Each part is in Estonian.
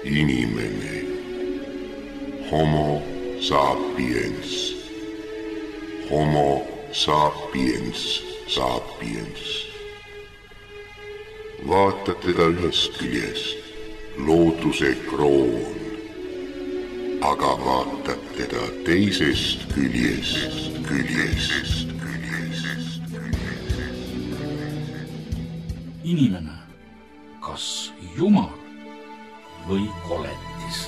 Inimene. Homo sapiens. Homo sapiens sapiens. Vaata teda ühest küljest, looduse kroon, aga vaatad teda teisest küljest. Inimene, kas jumal või koletis?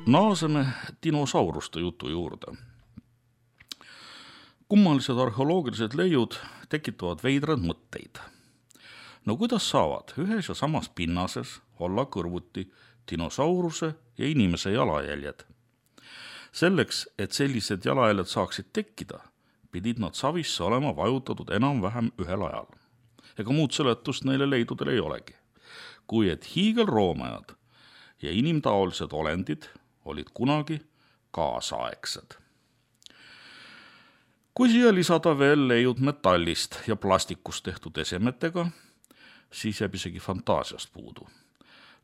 Naaseme dinosauruste jutu juurde. Kummalised arheoloogilised leiud tekitavad veidrad mõtteid. No kuidas saavad ühes ja samas pinnases olla kõrvuti dinosauruse ja inimese jalajäljed? Selleks, et sellised jalajäljed saaksid tekkida, pidid nad savisse olema vajutatud enam-vähem ühel ajal. Ega muud seletust neile leidudel ei olegi. Kui et hiigelroomajad ja inimtaolised olendid olid kunagi kaasaegsed. Kui siia lisada veel leiud metallist ja plastikust tehtud esemetega, siis jääb isegi fantaasiast puudu.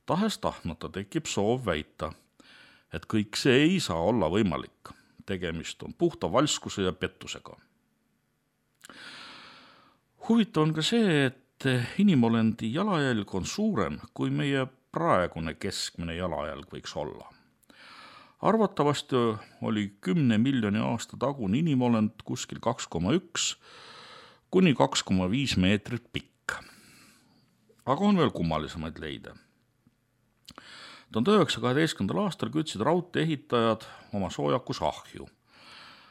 Tahes-tahtmata tekib soov väita, et kõik see ei saa olla võimalik. Tegemist on puhta valskuse ja pettusega. Huvitav on ka see, et inimolendi jalajälg on suurem, kui meie praegune keskmine jalajälg võiks olla. Arvatavasti oli 10 miljoni aasta tagune inimolend kuskil 2,1 kuni 2,5 meetrit pikk. Aga on veel kummalisemaid leide. 1912. aastal kütsid raudteeehitajad oma soojakus ahju.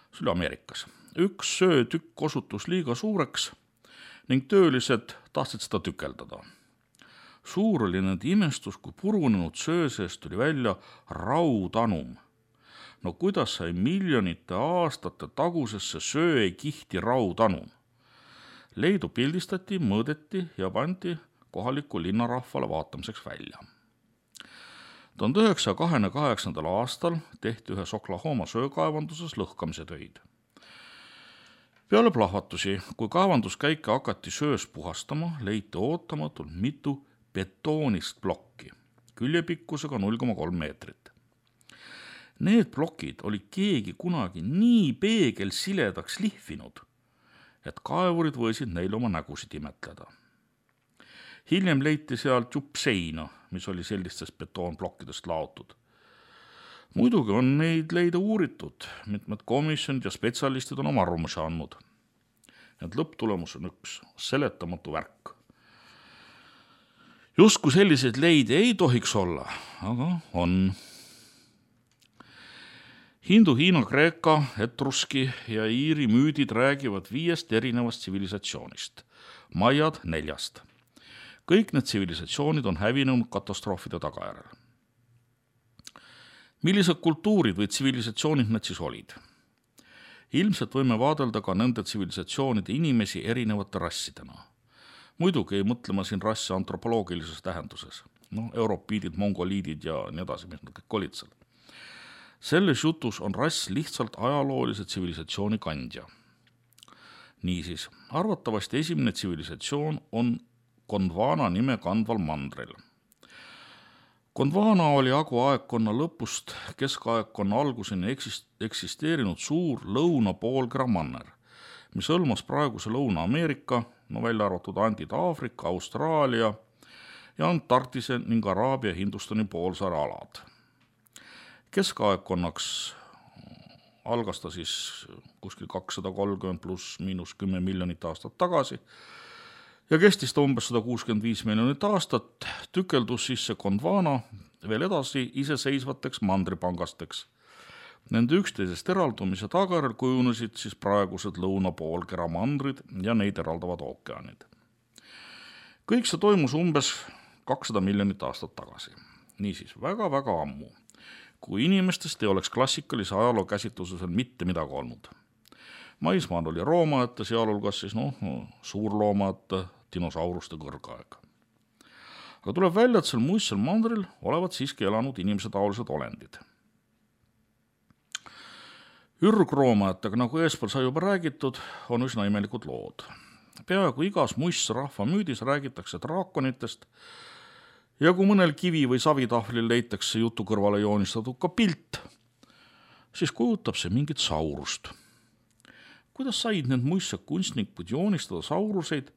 See oli Ameerikas. Üks söötükk osutus liiga suureks ning töölised tahtsid seda tükeldada. Suur oli nende imestus, kui purunenud söö seest tuli välja raudanum. No kuidas sai miljonite aastate tagusesse söekihti raudanum? Leidu pildistati, mõõdeti ja pandi kohaliku linnarahvale vaatamiseks välja. 1928. aastal tehti ühes Oklahoma söökaevanduses lõhkamise töid. Peale plahvatusi, kui kaevanduskäike hakati söös puhastama, leiti ootamatult mitu betoonist plokki, küljepikkusega 0,3 meetrit. Need plokid oli keegi kunagi nii peegelsiledaks lihvinud, et kaevurid võisid neil oma nägusid imetleda. Hiljem leiti sealt jupp seina, mis oli sellistest betoonplokkidest laotud. Muidugi on neid leida uuritud, mitmed komisjonid ja spetsialistid on oma arvamusi andnud. Et lõpptulemus on üks seletamatu värk. Justkui selliseid leide ei tohiks olla, aga on. Hindu, Hiina, Kreeka, etruski ja iiri müüdid räägivad 5 erinevast tsivilisatsioonist. Maiad 4. Kõik need tsivilisatsioonid on hävinenud katastroofide tagajärjel. Millised kultuurid või tsivilisatsioonid need siis olid? Ilmselt võime vaadelda ka nende tsivilisatsioonide inimesi erinevate rassidena. Muidugi ei mõtle ma siin rassi antropoloogilises tähenduses. Europiidid, mongoliidid ja nii edasi, mis nad kõik olid seal. Selles jutus on rass lihtsalt ajaloolise tsivilisatsiooni kandja. Niisiis, arvatavasti esimene tsivilisatsioon on Gondwana nime kandval mandril. Gondwana oli aegkonna lõpust keskaegkonna alguseni eksisteerinud suur lõunapoolkera manner, mis hõlmas praeguse Lõuna-Ameerika, välja arvatud Andid, Aafrika, Austraalia ja Antarktise ning Araabia Hindustani poolsaare alad. Keskaegkonnaks algas ta siis kuskil 230 pluss miinus 10 miljonit aastat tagasi ja kestis ta umbes 165 miljonit aastat, tükeldus siis see Gondwana veel edasi iseseisvateks mandripangasteks. Nende üksteisest eraldumise tagajärjel kujunesid siis praegused lõunapoolkera mandrid ja neid eraldavad ookeanid. Kõik see toimus umbes 200 miljonit aastat tagasi. Niisiis, väga-väga ammu, kui inimestest ei oleks klassikalise ajaloo käsitluses mitte midagi olnud. Maismaal oli roomajate, sealhulgas siis suurloomajate, dinosauruste kõrgaeg. Aga tuleb välja, et sel muistsel mandril olevat siiski elanud inimesetaolised olendid. Ürgroomajatega, nagu eespool sai juba räägitud, on üsna imelikud lood. Peaaegu igas muistsrahva müüdis räägitakse draakonitest ja kui mõnel kivi- või savitahvlil leitakse jutu kõrvale joonistatud ka pilt, siis kujutab see mingit saurust. Kuidas said need muistsed kunstnikud joonistada sauruseid,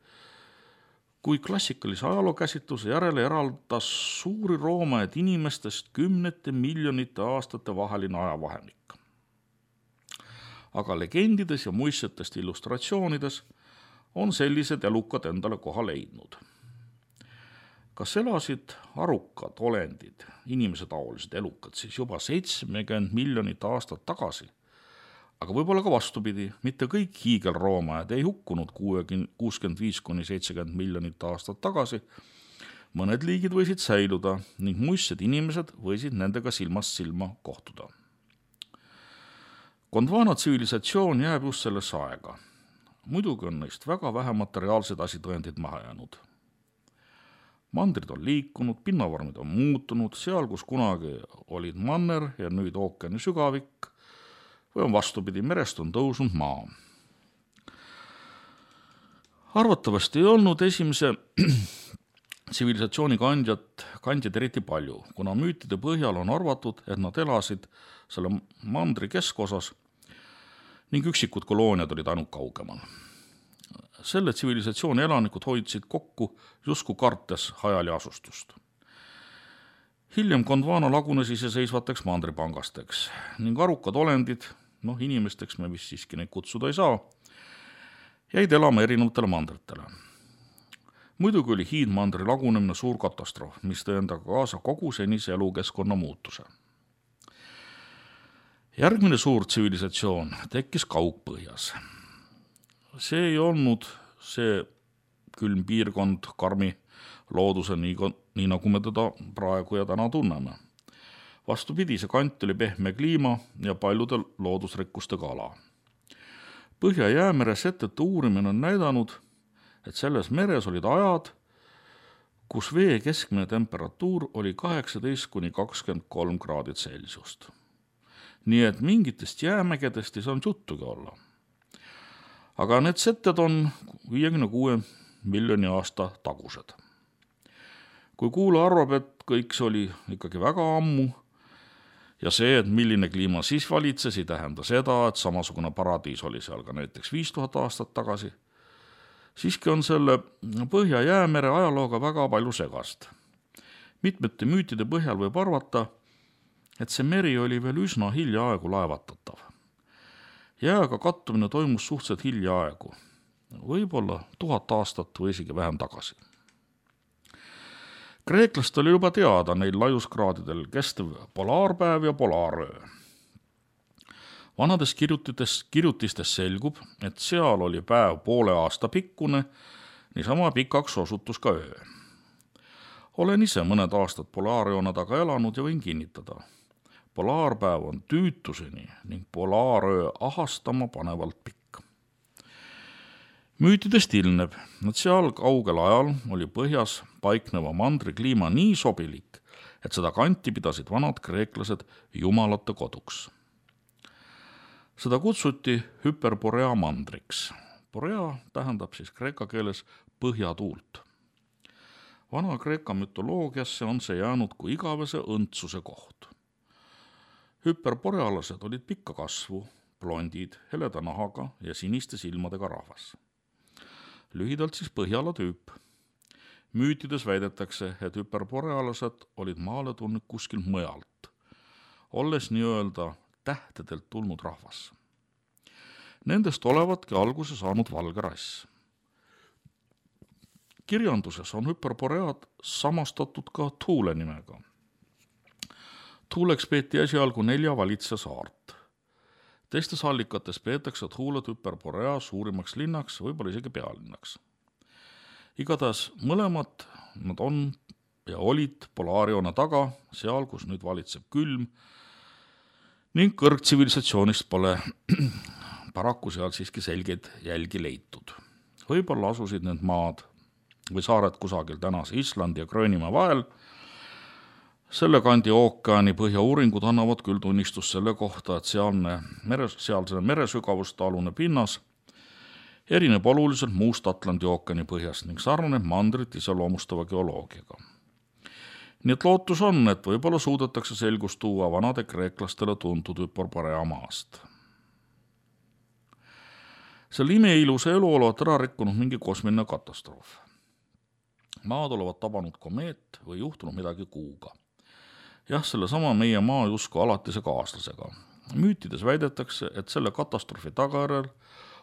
kui klassikalise ajalookäsitluse järele eraldas suuri roomajaid inimestest 10 miljonite aastate vaheline ajavahemik. Aga legendides ja muistsetest illustratsioonides on sellised elukad endale koha leidnud. Kas elasid arukad olendid, inimesetaolised elukad, siis juba 70 miljonit aastat tagasi? Aga võib-olla ka vastupidi, mitte kõik hiigelroomajad ei hukkunud 65–70 miljonit aastat tagasi. Mõned liigid võisid säiluda ning muistsed inimesed võisid nendega silmast silma kohtuda. Gondwana tsivilisatsioon jääb just sellesse aega. Muidugi on neist väga vähe materiaalsed asitõendid maha jäänud. Mandrid on liikunud, pinnavormid on muutunud, seal kus kunagi olid manner ja nüüd ookeani sügavik, või on vastupidi, merest on tõusnud maa. Arvatavasti ei olnud esimese tsivilisatsiooni kandjad eriti palju, kuna müütide põhjal on arvatud, et nad elasid selle mandri keskosas ning üksikud kolooniad olid ainult kaugemal. Selle tsivilisatsiooni elanikud hoidsid kokku justkui kartes hajali asustust. Hiljem Gondwana lagunes iseseisvateks mandripangasteks ning arukad olendid, inimesteks me vist siiski neid kutsuda ei saa, jäid elama erinevatele mandritele. Muidugi oli hiidmandri lagunemine suur katastroof, mis tõi endaga kaasa kogu senise elukeskkonna muutuse. Järgmine suur tsivilisatsioon tekkis Kaugpõhjas. See ei olnud see külm piirkond karmi looduse, nii nagu me teda praegu ja täna tunneme. Vastupidi, see kant oli pehme kliima ja paljude loodusrikkustega ala. Põhja-Jäämere setete uurimine on näidanud, et selles meres olid ajad, kus vee keskmine temperatuur oli 18–23 kraadid Celsiust. Nii et mingitest jäämägedest ei saanud juttugi olla. Aga need setted on 56 miljoni aasta tagused. Kui kuula arvab, et kõik see oli ikkagi väga ammu ja see, et milline kliima siis valitses, ei tähenda seda, et samasugune paradiis oli seal ka näiteks 5000 aastat tagasi, siiski on selle Põhja-Jäämere ajalooga väga palju segast. Mitmete müütide põhjal võib arvata, et see meri oli veel üsna hiljaaegu laevatatav. Jääga kattumine toimus suhteliselt hiljaaegu, võib-olla 1000 aastat või isegi vähem tagasi. Kreeklast oli juba teada neil laiuskraadidel kestev polaarpäev ja polaaröö. Vanades kirjutistes selgub, et seal oli päev poole aasta pikkune, niisama pikaks osutus ka öö. Olen ise mõned aastad polaarjoone taga elanud ja võin kinnitada. Polaarpäev on tüütuseni ning polaaröö ahastama panevalt pikk. Müütidest ilmneb, et seal kaugel ajal oli põhjas paikneva mandri kliima nii sobilik, et seda kanti pidasid vanad kreeklased jumalate koduks. Seda kutsuti Hyperborea mandriks. Borea tähendab siis kreeka keeles põhjatuult. Vana kreeka mütoloogiasse on see jäänud kui igavese õndsuse koht. Hyperborealased olid pikka kasvu, blondid, heleda nahaga ja siniste silmadega rahvas. Lühidalt siis Põhjala tüüp. Müütides väidetakse, et hüperborealased olid maale tulnud kuskilt mujalt, olles nii-öelda tähtedelt tulnud rahvas. Nendest olevatki alguse saanud valge rass. Kirjanduses on hüperboread samastatud ka Thule nimega. Thuleks peeti esialgu 4 valitse saart. Teistes allikates peetakse Thulet Hyperborea suurimaks linnaks, võib-olla isegi pealinnaks. Igatahes mõlemad nad on ja olid polaarjoone taga, seal, kus nüüd valitseb külm, ning kõrgtsivilisatsioonist pole paraku seal siiski selgeid jälgi leitud. Võib-olla asusid need maad või saared kusagil tänase Islandi ja Gröönimaa vahel. Selle kandi ookeani põhjauuringud annavad küll tunnistust selle kohta, et sealse meresügavuste alune pinnas erineb oluliselt muust Atlandi ookeani põhjast ning sarnaneb mandrit iseloomustava geoloogiaga. Nii et lootus on, et võib-olla suudetakse selgust tuua vanade kreeklastele tuntud Hyperborea maast. Selle imeilusa elu olevat ära rikkunud mingi kosmiline katastroof. Maad olevat tabanud komeet või juhtunud midagi kuuga. Jah, sellesama meie maa justkui alatise kaaslasega. Müütides väidetakse, et selle katastroofi tagajärjel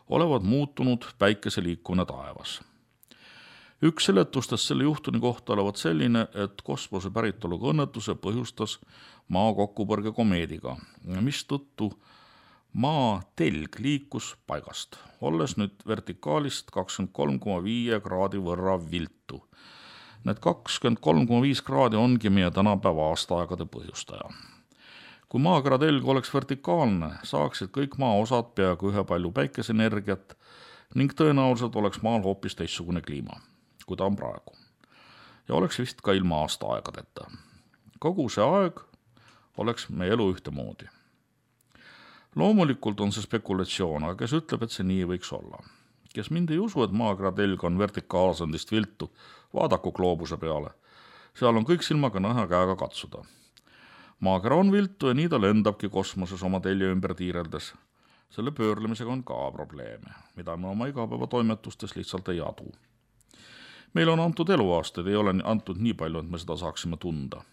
olevat muutunud päikese liikumine taevas. Üks seletustest selle juhtuni kohta olevat selline, et kosmose päritoluga õnnetuse põhjustas maa kokkupõrge komeediga, mis tõttu maa telg liikus paigast, olles nüüd vertikaalist 23,5 kraadi võrra viltu. Need 23,5 kraadi ongi meie tänapäeva aastaaegade põhjustaja. Kui maakera telg oleks vertikaalne, saaksid kõik maa osad peaaegu ühepalju päikeseenergiat ning tõenäoliselt oleks maal hoopis teistsugune kliima, kui ta on praegu. Ja oleks vist ka ilma aastaaegadeta. Kogu see aeg oleks meie elu ühtemoodi. Loomulikult on see spekulatsioon, aga kes ütleb, et see nii võiks olla. Kes mind ei usu, et maakera telg on vertikaalsendist viltu, vaadaku gloobuse peale. Seal on kõik silmaga näha käega katsuda. Maakera on viltu ja nii ta lendabki kosmoses oma telje ümber tiireldes. Selle pöörlemisega on ka probleeme, mida me oma igapäeva toimetustes lihtsalt ei adu. Meil on antud eluaastaid, ei ole antud nii palju, et me seda saaksime tunda.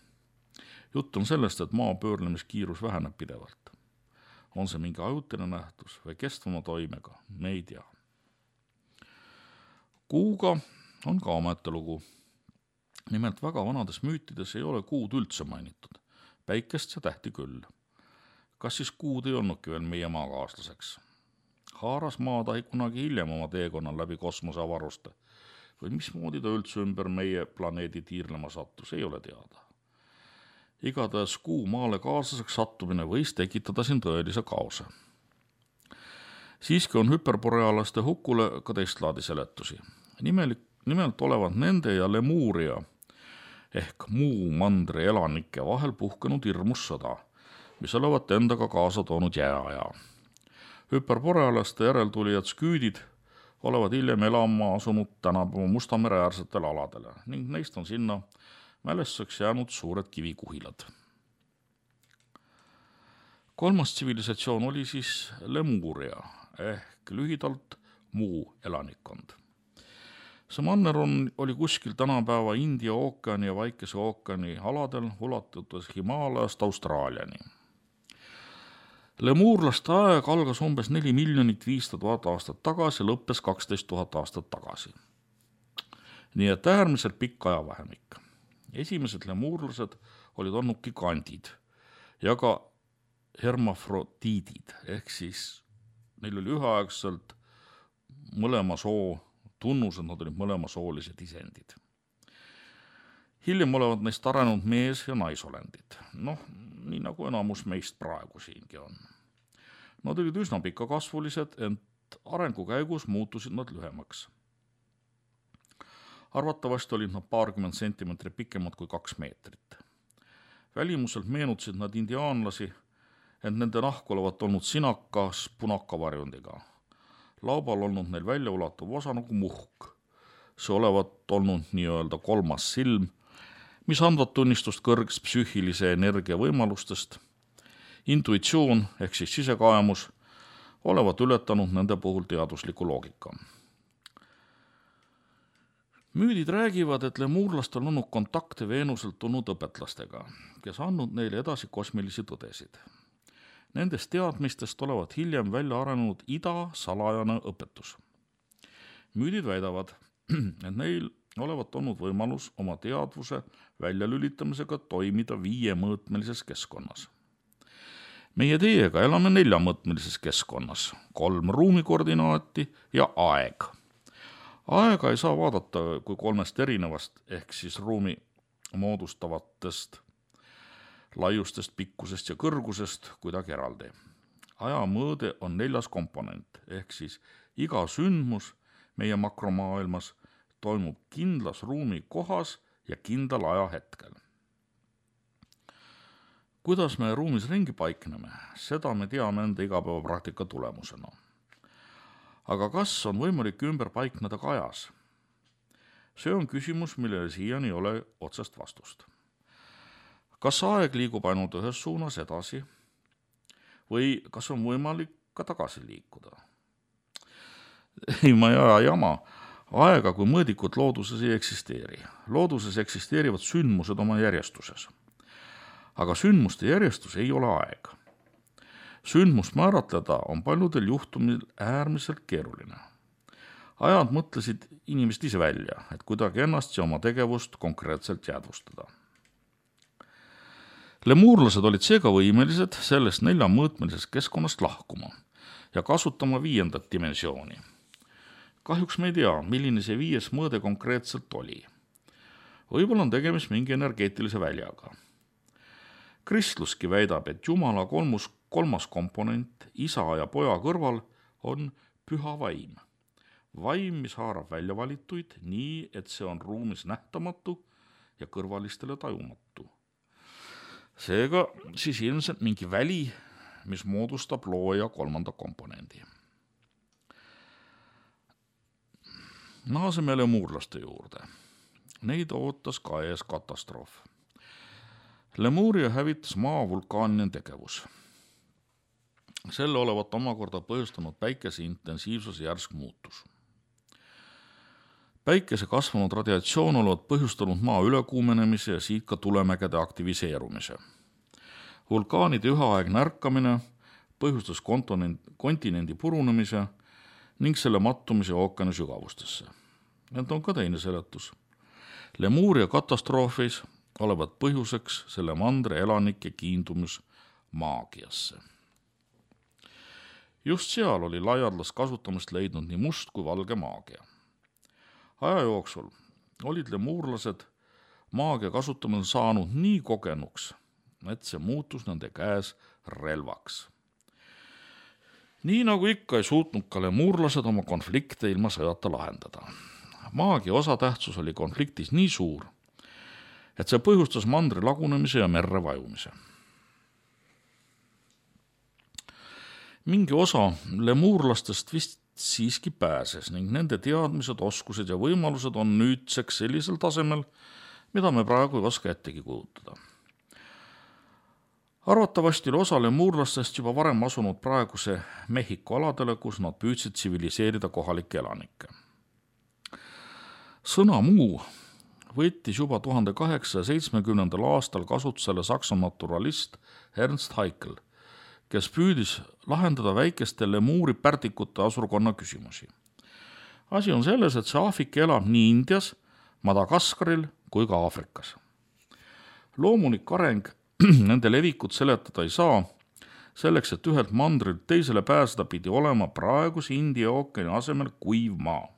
Jutt on sellest, et maa pöörlemiskiirus väheneb pidevalt. On see mingi ajutine nähtus või kestvama toimega, me ei tea. Kuuga on ka omete lugu. Nimelt väga vanades müütides ei ole kuud üldse mainitud, päikest ja tähti küll. Kas siis kuud ei olnudki veel meie maakaaslaseks? Haaras maatahi kunagi hiljem oma teekonnal läbi kosmose avaruste või mismoodi ta üldse ümber meie planeedi tiirlema sattus, ei ole teada. Igatahes kuu maale kaaslaseks sattumine võis tekitada siin tõelise kaose. Siiski on hüperborealaste hukule ka teistlaadi seletusi. Nimelt olevat nende ja Lemuria ehk muu mandri elanike vahel puhkenud hirmus sõda, mis olevat endaga kaasa toonud jääaja. Hüperborealaste järeltulijad sküüdid olevat hiljem elama asunud tänapäeva Musta mere äärsetele aladele ning neist on sinna mälestuseks jäänud suured kivikuhilad. Kolmas tsivilisatsioon oli siis Lemuria ehk lühidalt muu elanikkond. See manner oli kuskil tänapäeva India ookeani ja Vaikese ookeani aladel ulatudes Himaalajast Austraaliani. Lemuurlaste aeg algas umbes 4 500 000 aastat tagasi ja lõppes 12 000 aastat tagasi. Nii et äärmiselt pikk ajavahemik. Esimesed lemuurlased olid olnud gigandid ja ka hermafrodiidid, ehk siis neil oli üheaegselt mõlema soo tunnus, et nad olid mõlemasoolised isendid. Hiljem olevat neist arenenud mees- ja naisolendid, nii nagu enamus meist praegu siingi on. Nad olid üsna pikakasvulised, ent arengu käigus muutusid nad lühemaks. Arvatavasti olid nad paarkümmend sentimeetrit pikemad kui 2 meetrit. Välimuselt meenutasid nad indiaanlasi, ent nende nahk olevat olnud sinakas punakavarjundiga. Laubal olnud neil väljaulatuv osa nagu muhk. See olevat olnud nii-öelda kolmas silm, mis andvad tunnistust kõrgest psüühilise energia võimalustest. Intuitsioon ehk siis sisekaemus olevat ületanud nende puhul teadusliku loogika. Müüdid räägivad, et lemuurlastel on olnud kontakte Veenuselt tulnud õpetlastega, kes andnud neile edasi kosmilisi tõdesid. Nendest teadmistest olevat hiljem välja arenenud ida salajane õpetus. Müüdid väidavad, et neil olevat olnud võimalus oma teadvuse väljalülitamisega toimida 5-mõõtmelises keskkonnas. Meie teiega elame 4-mõõtmelises keskkonnas, 3 ruumikoordinaati ja aeg. Aega ei saa vaadata kui 3 erinevast ehk siis ruumi moodustavatest laiustest, pikkusest ja kõrgusest kuidagi eraldi. Aja mõõde on 4. komponent ehk siis iga sündmus meie makromaailmas toimub kindlas ruumi kohas ja kindlal ajahetkel. Kuidas me ruumis ringi paikneme, seda me teame enda igapäevapraktika tulemusena. Aga kas on võimalik ümber paikneda ka ajas? See on küsimus, millele siiani ei ole otsest vastust. Kas aeg liigub ainult ühes suunas edasi või kas on võimalik ka tagasi liikuda? Ei, ma ei aja jama. Aega kui mõõdikut looduses ei eksisteeri. Looduses eksisteerivad sündmused oma järjestuses. Aga sündmuste järjestus ei ole aeg. Sündmust määratleda on paljudel juhtumil äärmiselt keeruline. Ajad mõtlesid inimesed ise välja, et kuidagi ennast ja oma tegevust konkreetselt jäädvustada. Lemuurlased olid seega võimelised sellest 4-mõõtmelisest keskkonnast lahkuma ja kasutama 5. dimensiooni. Kahjuks me ei tea, milline see 5. mõõde konkreetselt oli. Võib-olla on tegemist mingi energeetilise väljaga. Kristluski väidab, et Jumala kolmas komponent isa ja poja kõrval on püha vaim. Vaim, mis haarab väljavalituid nii, et see on ruumis nähtamatu ja kõrvalistele tajumatu. Seega siis ilmselt mingi väli, mis moodustab looja 3. komponendi. Naaseme lemuurlaste juurde. Neid ootas ka ees katastroof. Lemuuria hävitas maa vulkaanine tegevus. Selle olevat omakorda põhjustanud päikese intensiivsuse järsk muutus. Päikese kasvanud radiatsioon olevat põhjustanud maa ülekuumenemise ja siit ka tulemägede aktiviseerumise. Vulkaanide üheaegne ärkamine põhjustas kontinendi purunemise ning selle mattumise ookeani sügavustesse. Need on ka teine seletus. Lemuuria katastroofis olevat põhjuseks selle mandre elanike kiindumus maagiasse. Just seal oli laialdast kasutamist leidnud nii must kui valge maagia. Aja jooksul olid lemuurlased maagia kasutamine saanud nii kogenuks, et see muutus nende käes relvaks. Nii nagu ikka ei suutnud ka lemuurlased oma konflikte ilma sõjata lahendada. Maagia osatähtsus oli konfliktis nii suur, et see põhjustas mandri lagunemise ja merre vajumise. Mingi osa lemuurlastest vist siiski pääses ning nende teadmised, oskused ja võimalused on nüüdseks sellisel tasemel, mida me praegu ei oska ettegi kujutada. Arvatavasti oli osa lemuurlastest juba varem asunud praeguse Mehhiko aladele, kus nad püüdsid tsiviliseerida kohalikke elanikke. Sõna muu võttis juba 1870. aastal kasutusele saksa naturalist Ernst Haeckel, kes püüdis lahendada väikeste lemuuri pärdikute asurkonna küsimusi. Asi on selles, et see Aafrika elab nii Indias, Madagaskaril kui ka Aafrikas. Loomulik areng nende levikut seletada ei saa, selleks, et ühelt mandrilt teisele pääseda pidi olema praeguse India ookeani asemel kuiv maa.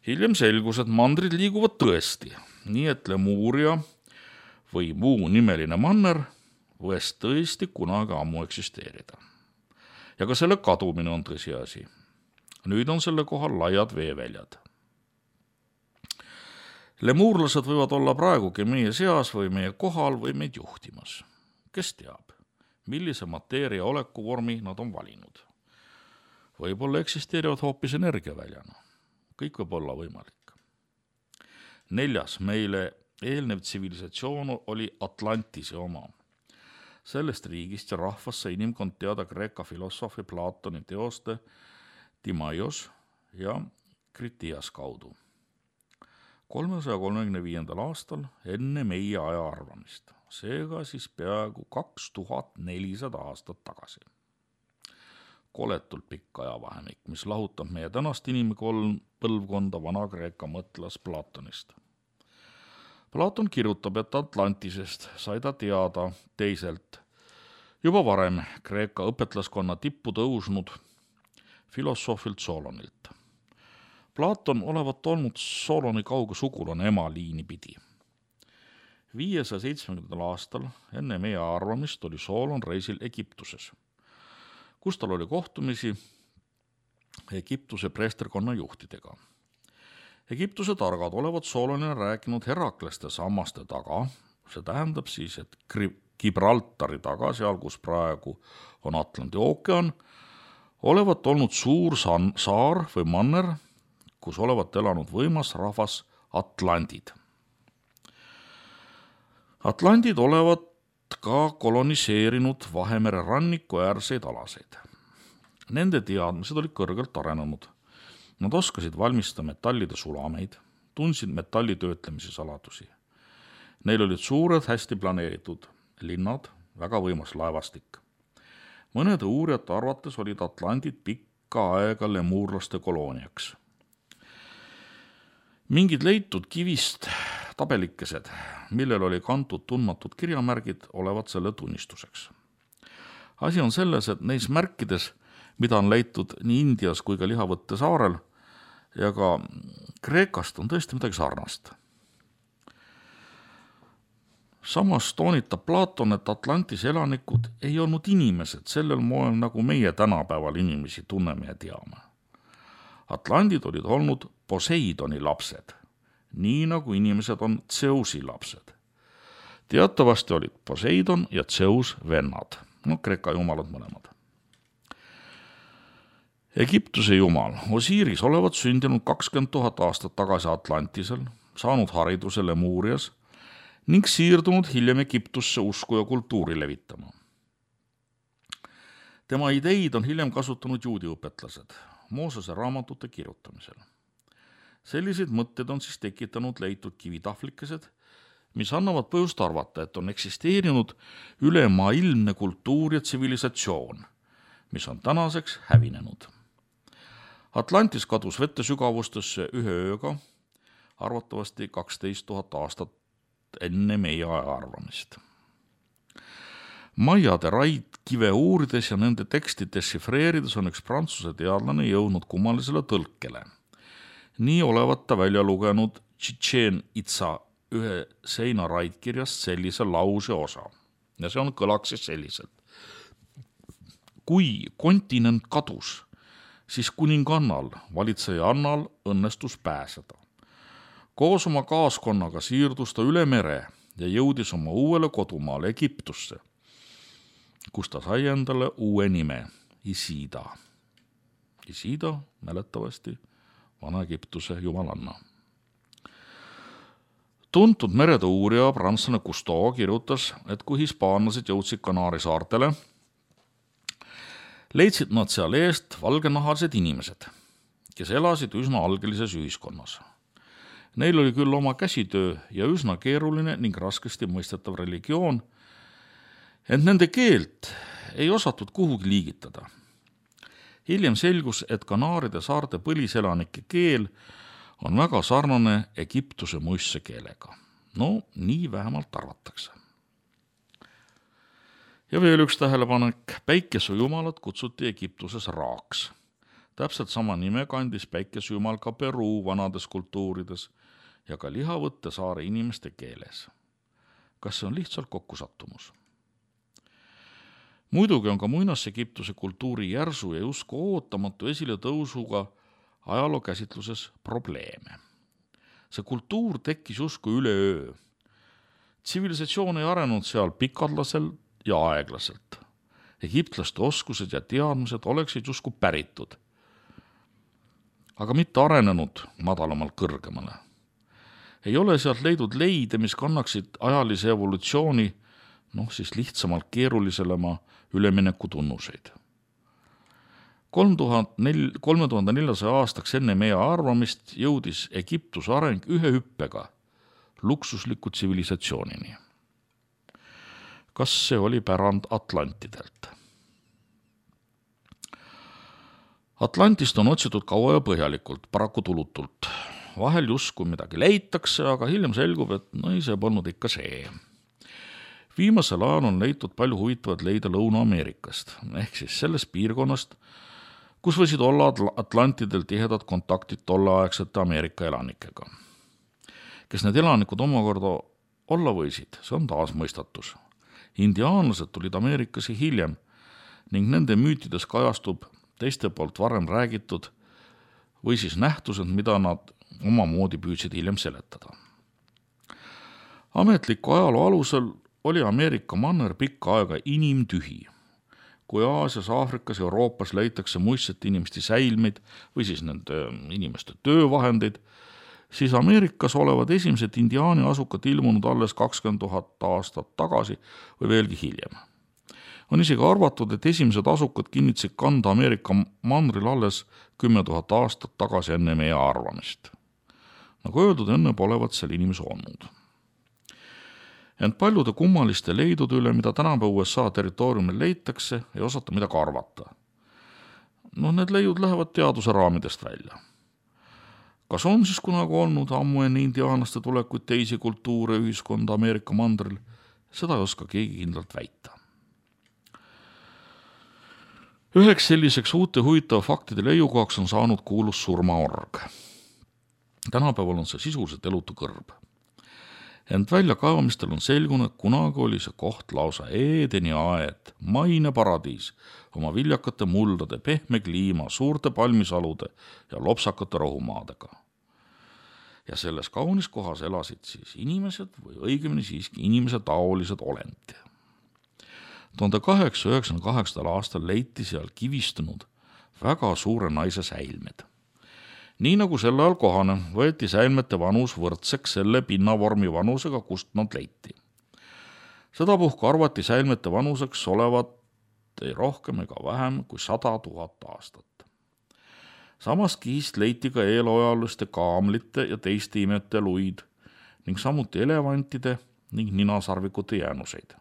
Hiljem selgus, et mandrid liiguvad tõesti, nii et Lemuuria või muu nimeline manner võis tõesti kunagi ammu eksisteerida. Ja ka selle kadumine on tõsiasi. Nüüd on selle kohal laiad veeväljad. Lemuurlased võivad olla praegugi meie seas või meie kohal või meid juhtimas. Kes teab, millise mateeria olekuvormi nad on valinud? Võib-olla eksisteerivad hoopis energiaväljana. Kõik võib olla võimalik. 4. meile eelnev tsivilisatsioon oli Atlantise oma. Sellest riigist ja rahvast sai inimkond teada Kreeka filosoofi Platoni teoste Timaios ja Kritias kaudu. 335. aastal enne meie aja arvamist, seega siis peaaegu 2400 aastat tagasi. Koletult pikk ajavahemik, mis lahutab meie tänast inimpõlvkonda Vana-Kreeka mõtlas Platonist. Platon kirjutab, et Atlantisest sai ta teada teiselt, juba varem Kreeka õpetlaskonna tippu tõusnud filosoofilt Solonilt. Platon olevat olnud Soloni kauge sugulane ema liini pidi. 570. aastal enne meie arvamist oli Solon reisil Egiptuses, kus tal oli kohtumisi Egiptuse preesterkonna juhtidega. Egiptuse targad olevat Solonile rääkinud Herakleste sammaste taga, see tähendab siis, et Gibraltari taga, seal kus praegu on Atlandi ookean, olevat olnud suur saar või manner, kus olevat elanud võimas rahvas Atlandid. Atlandid olevat ka koloniseerinud Vahemere ranniku äärseid alaseid. Nende teadmised olid kõrgelt arenenud. Nad oskasid valmistada metallide sulameid, tundsid metalli töötlemise saladusi. Neil olid suured, hästi planeeritud linnad, väga võimas laevastik. Mõnede uurijate arvates olid Atlandid pikka aega lemuurlaste kolooniaks. Mingid leitud kivist tabelikesed, millel oli kantud tundmatud kirjamärgid, olevat selle tunnistuseks. Asi on selles, et neis märkides, mida on leitud nii Indias kui ka Lihavõtte saarel ja ka Kreekast, on tõesti midagi sarnast. Samas toonitab Platon, et Atlantis elanikud ei olnud inimesed sellel moel, nagu meie tänapäeval inimesi tunneme ja teame. Atlandid olid olnud Poseidoni lapsed, nii nagu inimesed on Zeusi lapsed. Teatavasti olid Poseidon ja Zeus vennad, Kreeka jumalad mõlemad. Egiptuse jumal Osiris olevat sündinud 20 000 aastat tagasi Atlantisel, saanud hariduse Lemuurias ning siirdunud hiljem Egiptusse usku ja kultuuri levitama. Tema ideid on hiljem kasutanud juudi õpetlased Moosese raamatute kirjutamisel. Selliseid mõtteid on siis tekitanud leitud kivitahvlikesed, mis annavad põhjust arvata, et on eksisteerinud ülemaailmne kultuur ja tsivilisatsioon, mis on tänaseks hävinenud. Atlantis kadus vette sügavustesse ühe ööga, arvatavasti 12 000 aastat enne meie ajaarvamist. Maiade raidkive uurides ja nende teksti dešifreerides on üks prantsuse teadlane jõudnud kummalisele tõlkele. Nii olevat ta välja lugenud Chichen Itza ühe seina raidkirjast sellise lause osa. Ja see kõlaks siis selliselt. Kui kontinent kadus, siis kuningannal, valitseja Annal õnnestus pääseda. Koos oma kaaskonnaga siirdus ta üle mere ja jõudis oma uuele kodumaale Egiptusse, kus ta sai endale uue nime, Isida. Isida, mäletavasti, Vana-Egiptuse jumalanna. Tuntud merede uurija prantslane Cousteau kirjutas, et kui hispaanlased jõudsid Kanaari saartele, leidsid nad seal eest valgenahalised inimesed, kes elasid üsna algelises ühiskonnas. Neil oli küll oma käsitöö ja üsna keeruline ning raskesti mõistetav religioon, ent nende keelt ei osatud kuhugi liigitada. Hiljem selgus, et Kanaaride saarte põliselanike keel on väga sarnane Egiptuse muistse keelega. Nii vähemalt arvatakse. Ja veel üks tähelepanek. Päikesejumalad kutsuti Egiptuses Raaks. Täpselt sama nime kandis päikesejumal ka Peruu vanades kultuurides ja ka Lihavõtte saare inimeste keeles. Kas see on lihtsalt kokkusattumus? Muidugi on ka muinas-Egiptuse kultuuri järsu ja justkui ootamatu esile tõusuga ajaloo käsitluses probleeme. See kultuur tekkis justkui üleöö. Tsivilisatsioon ei arenud seal pikadlaselt ja aeglaselt. Egiptlaste oskused ja teadmised oleksid justkui päritud, aga mitte arenenud madalamalt kõrgemale. Ei ole sealt leidnud leide, mis kannaksid ajalise evolutsiooni, siis lihtsamalt keeruliselema ülemineku tunnuseid. 3400 aastaks enne meie arvamist jõudis Egiptuse areng ühe hüppega luksusliku tsivilisatsioonini. Kas see oli pärand Atlantidelt? Atlantist on otsitud kaua ja põhjalikult, paraku tulutult. Vahel justkui midagi leitakse, aga hiljem selgub, et see polnud ikka see. Viimasel ajal on leitud palju huvitavat leida Lõuna-Ameerikast, ehk siis sellest piirkonnast, kus võisid olla Atlantidel tihedad kontaktid tolleaegsete Ameerika elanikega. Kes need elanikud omakorda olla võisid, see on taas mõistatus. Indiaanlased tulid Ameerikasse hiljem ning nende müütides kajastub teiste poolt varem räägitud või siis nähtused, mida nad omamoodi püüdsid hiljem seletada. Ametliku ajaloo alusel oli Ameerika manner pikka aega inimtühi. Kui Aasias, Aafrikas, Euroopas leitakse muistsete inimeste säilmeid või siis nende inimeste töövahendeid, siis Ameerikas olevad esimesed indiaani asukad ilmunud alles 20 000 aastat tagasi või veelgi hiljem. On isegi arvatud, et esimesed asukad kinnitasid kanda Ameerika mandril alles 10 000 aastat tagasi enne meie arvamist. Nagu öeldud, enne polevat seal inimesi olnud. Ent paljude kummaliste leidude üle, mida tänapäeva USA territooriumil leitakse, ei osata midagi arvata. Need leiud lähevad teaduse raamidest välja. Kas on siis kunagi olnud ammu enne indiaanlaste tulekuid teisi kultuure ühiskonda Ameerika mandril? Seda ei oska keegi kindlalt väita. Üheks selliseks uute huvitava faktide leiukohaks on saanud kuulus surmaorg. Tänapäeval on see sisuliselt elutu kõrb. Ent väljakaevamistel on selgunud, et kunagi oli see koht lausa Eedeni aed, maine paradiis, oma viljakate muldade, pehme kliima, suurte palmisalude ja lopsakate rohumaadega. Ja selles kaunis kohas elasid siis inimesed või õigemini siiski inimese taolised olendid. 1898. aastal leiti seal kivistunud väga suure naise säilmed. Nii nagu sel ajal kohane, võeti säilmete vanus võrdseks selle pinnavormi vanusega, kust nad leiti. Sedapuhku arvati säilmete vanuseks olevat ei rohkem ega vähem kui 100 000 aastat. Samas kihist leiti ka eelojaliste kaamlite ja teiste imete luid ning samuti elevantide ning ninasarvikute jäänuseid.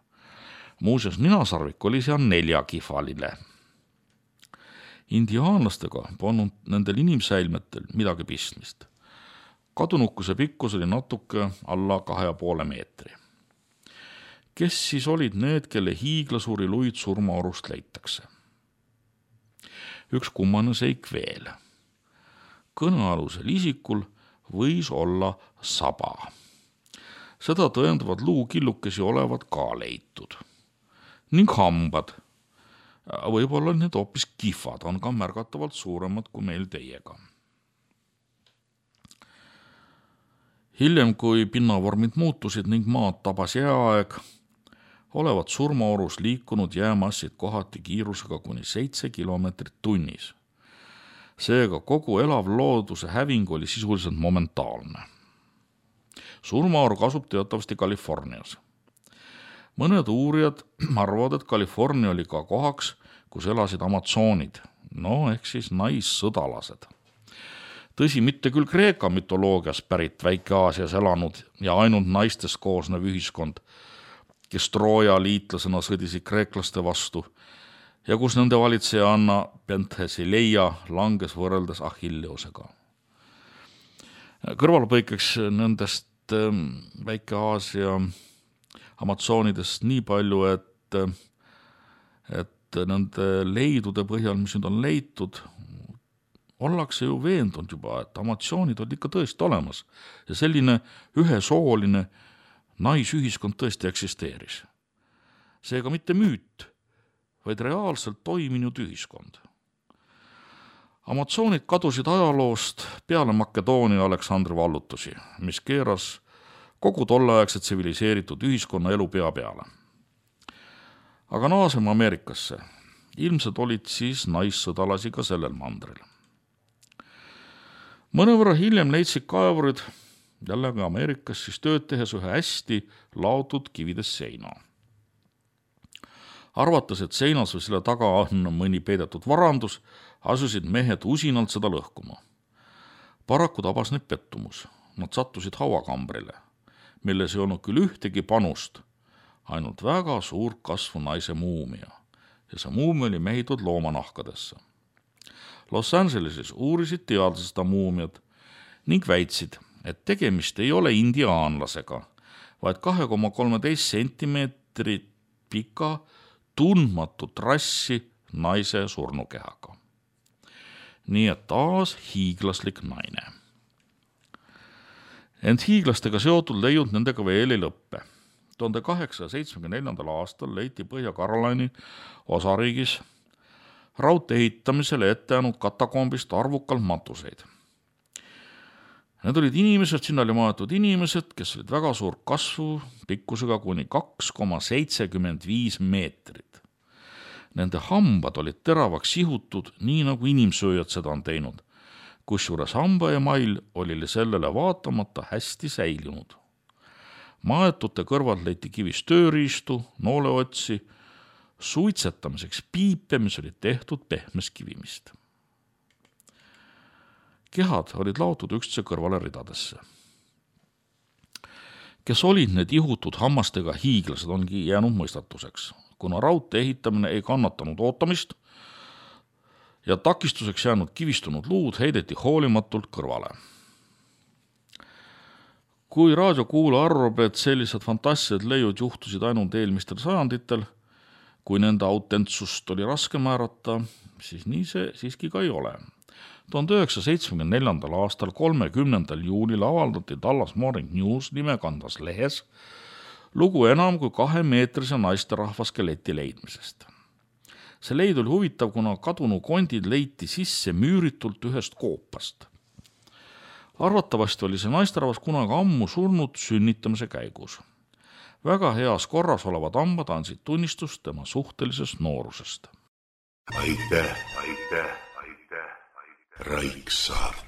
Muuseas, ninasarvik oli seal 4-kifaline. Indiaanlastega polnud nendel inimsäilmetel midagi pistmist. Kadunukuse pikkus oli natuke alla 2,5 meetri. Kes siis olid need, kelle hiiglasuuri luid surmaorust leitakse? Üks kummane seik veel. Kõnealusel isikul võis olla saba. Seda tõendavad luukillukesi olevat ka leitud. Ning hambad. Võib-olla need hoopis kihvad on ka märgatavalt suuremad kui meil teiega. Hiljem, kui pinnavormid muutusid ning maad tabas jääaeg, olevat surmaorus liikunud jäämassid kohati kiirusega kuni 7 kilomeetrit tunnis. Seega kogu elav looduse häving oli sisuliselt momentaalne. Surmaorg asub teatavasti Californias. Mõned uurijad arvavad, et California oli ka kohaks, kus elasid amazonid, ehk siis naissõdalased. Tõsi, mitte küll Kreeka mütoloogias pärit Väike-Aasias elanud ja ainult naistest koosnev ühiskond, kes Trooja liitlasena sõdisid kreeklaste vastu ja kus nende valitseja Anna Penthesileia langes võrreldes Achilleusega. Kõrvalpõikeks nendest Väike-Aasia amazonidest nii palju, et nende leidude põhjal, mis nüüd on leitud, ollakse ju veendunud juba, et amazonid olid ikka tõesti olemas ja selline ühesooline naisühiskond tõesti eksisteeris. Seega mitte müüt, vaid reaalselt toiminud ühiskond. Amazonid kadusid ajaloost peale Makedoonia Aleksandri vallutusi, mis keeras kogu tolleaegse tsiviliseeritud ühiskonna elu pea peale. Aga naaseme Ameerikasse. Ilmselt olid siis naissõdalasi ka sellel mandril. Mõnevõrra hiljem leidsid kaevurid jällegi Ameerikas siis tööd tehes ühe hästi laotud kivides seina. Arvates, et seinas või selle taga on mõni peidetud varandus, asusid mehed usinalt seda lõhkuma. Paraku tabas neid pettumus. Nad sattusid hauakambrile, milles ei olnud küll ühtegi panust, ainult väga suur kasvu naise muumia ja see muumia oli mehitud loomanahkadesse. Los Angeleses uurisid teadlased seda muumiat ning väitsid, et tegemist ei ole indiaanlasega, vaid 2,13 sentimeetrit pika tundmatut rassi naise surnukehaga. Nii et taas hiiglaslik naine. Ent hiiglastega seotud leiud nendega veel ei lõppe. 1874. aastal leiti Põhja-Carolini osariigis raudtee ehitamisele ette jäänud katakombist arvukalt matuseid. Need olid inimesed, sinna oli maetud inimesed, kes olid väga suur kasvu pikkusega kuni 2,75 meetrit. Nende hambad olid teravaks sihutud, nii nagu inimsööjad seda on teinud, kusjuures hambaemail oli sellele vaatamata hästi säilinud. Maetute kõrvalt leiti kivist tööriistu, nooleotsi, suitsetamiseks piipe, mis olid tehtud pehmest kivimist. Kehad olid laotud üksteise kõrvale ridadesse. Kes olid need ihutud hammastega hiiglased, ongi jäänud mõistatuseks, kuna raudtee ehitamine ei kannatanud ootamist ja takistuseks jäänud kivistunud luud heideti hoolimatult kõrvale. Kui raadiokuulaja arvab, et sellised fantastilised leiud juhtusid ainult eelmistel sajanditel, kui nende autentsust oli raske määrata, siis nii see siiski ka ei ole. 1974. aastal 30. juunil avaldati Dallas Morning News nimekandvas lehes lugu enam kui 2-meetrise naisterahva skeleti leidmisest. See leid oli huvitav, kuna kadunu kondid leiti sisse müüritult ühest koopast. Arvatavasti oli see naisterahvas kunagi ammu surnud sünnitamise käigus. Väga heas korras olevad hambad andsid tunnistust tema suhtelisest noorusest. Aitäh, Raiksaart.